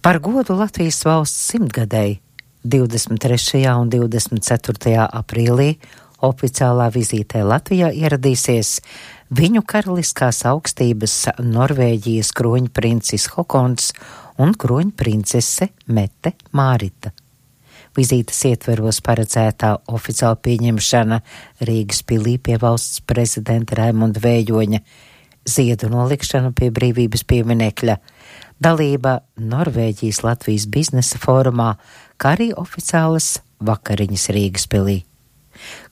Par godu Latvijas valsts simtgadēji 23. un 24. aprīlī oficiālā vizītē Latvijā ieradīsies viņu karaliskās augstības Norvēģijas kroņprincis Hokons un kroņprincese Mette Mārita. Vizītes ietveros paredzētā oficiāla pieņemšana Rīgas pilī pie valsts prezidenta Raimunda Vējoņa, ziedu nolikšana pie brīvības pieminekļa, dalība Norvēģijas Latvijas biznesa fórumā, kā arī oficiālas vakariņas Rīgas pilī.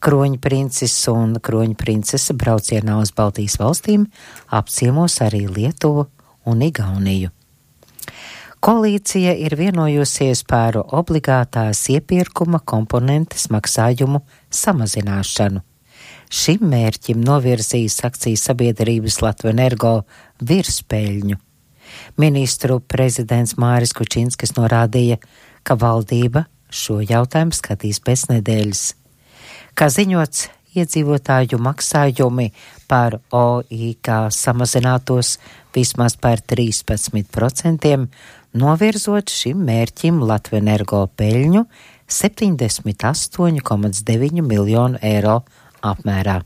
Kroņprincis un kroņprincese braucienā uz Baltijas valstīm apciemos arī Lietuvu un Igauniju. Koalīcija ir vienojusies par obligātās iepirkuma komponentes maksājumu samazināšanu. Šim mērķim novirzīs akcijas sabiedrības Latvenergo virspeļņu. Ministru prezidents Māris Kučinskis norādīja, ka valdība šo jautājumu skatīs pēc nedēļas. Kā ziņots, iedzīvotāju maksājumi par OIK samazinātos vismaz par 13%, novirzot šim mērķim Latvenergo peļņu 78,9 miljonu eiro apmērā.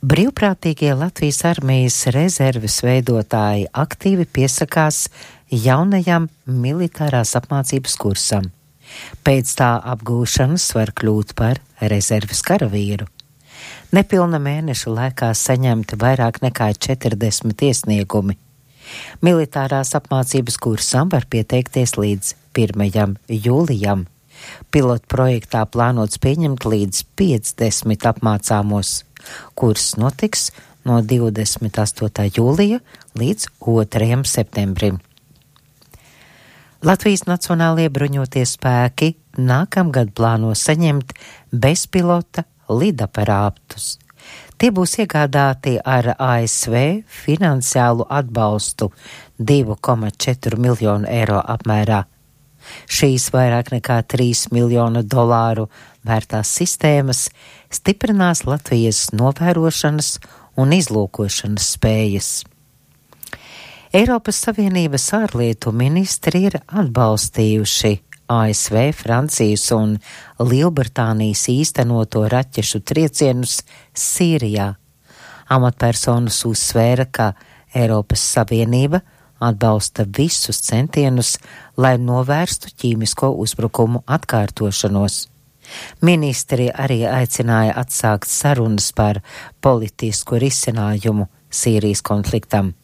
Brīvprātīgie Latvijas armijas rezerves veidotāji aktīvi piesakās jaunajam militārās apmācības kursam. Pēc tā apgūšanas var kļūt par rezerves karavīru. Nepilna mēneša laikā saņemti vairāk nekā 40 iesniegumi. Militārās apmācības kursam var pieteikties līdz 1. jūlijam. Pilotu projektā plānots pieņemt līdz 50 apmācāmos. Kurs notiks no 28. jūlija līdz 2. septembrim. Latvijas Nacionālie bruņotie spēki nākamgad plāno saņemt bezpilota lidaparātus. Tie būs iegādāti ar ASV finansiālu atbalstu 2,4 miljonu eiro apmērā. Šīs vairāk nekā 3 miljonu dolāru vērtās sistēmas stiprinās Latvijas novērošanas un izlūkošanas spējas. Eiropas Savienības ārlietu ministri ir atbalstījuši ASV, Francijas un Lielbritānijas īstenoto raķešu triecienus Sīrijā. Amatpersonas uzsvēra, ka Eiropas Savienība atbalsta visus centienus, lai novērstu ķīmisko uzbrukumu atkārtošanos. Ministri arī aicināja atsākt sarunas par politisku risinājumu Sīrijas konfliktam.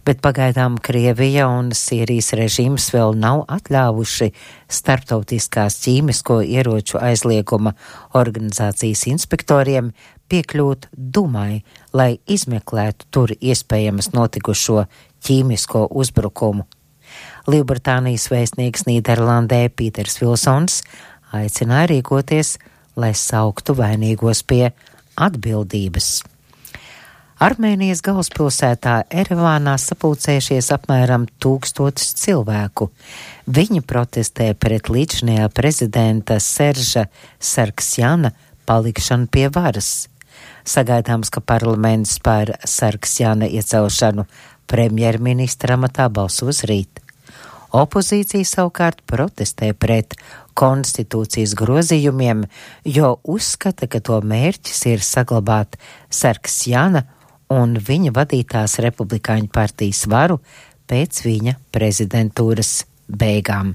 Bet pagaidām Krievija un Sīrijas režīms vēl nav atļāvuši starptautiskās ķīmisko ieroču aizlieguma organizācijas inspektoriem piekļūt Dumai, lai izmeklētu tur iespējamas notikušo ķīmisko uzbrukumu. Lielbritānijas vēstnieks Nīderlandē Pīters Vilsons aicināja rīkoties, lai sauktu vainīgos pie atbildības. Armēnijas galvaspilsētā Erevānā sapulcējušies apmēram 1000 cilvēku. Viņi protestē pret līdzinājā prezidenta Serža Sargsjana palikšanu pie varas. Sagaidāms, ka parlaments par Sargsjana iecelšanu premjerministra amatā balsos rīt. Opozīcija savukārt protestē pret konstitūcijas grozījumiem, jo uzskata, ka to mērķis ir saglabāt Sargsjana un viņa vadītās republikāņu partijas varu pēc viņa prezidentūras beigām.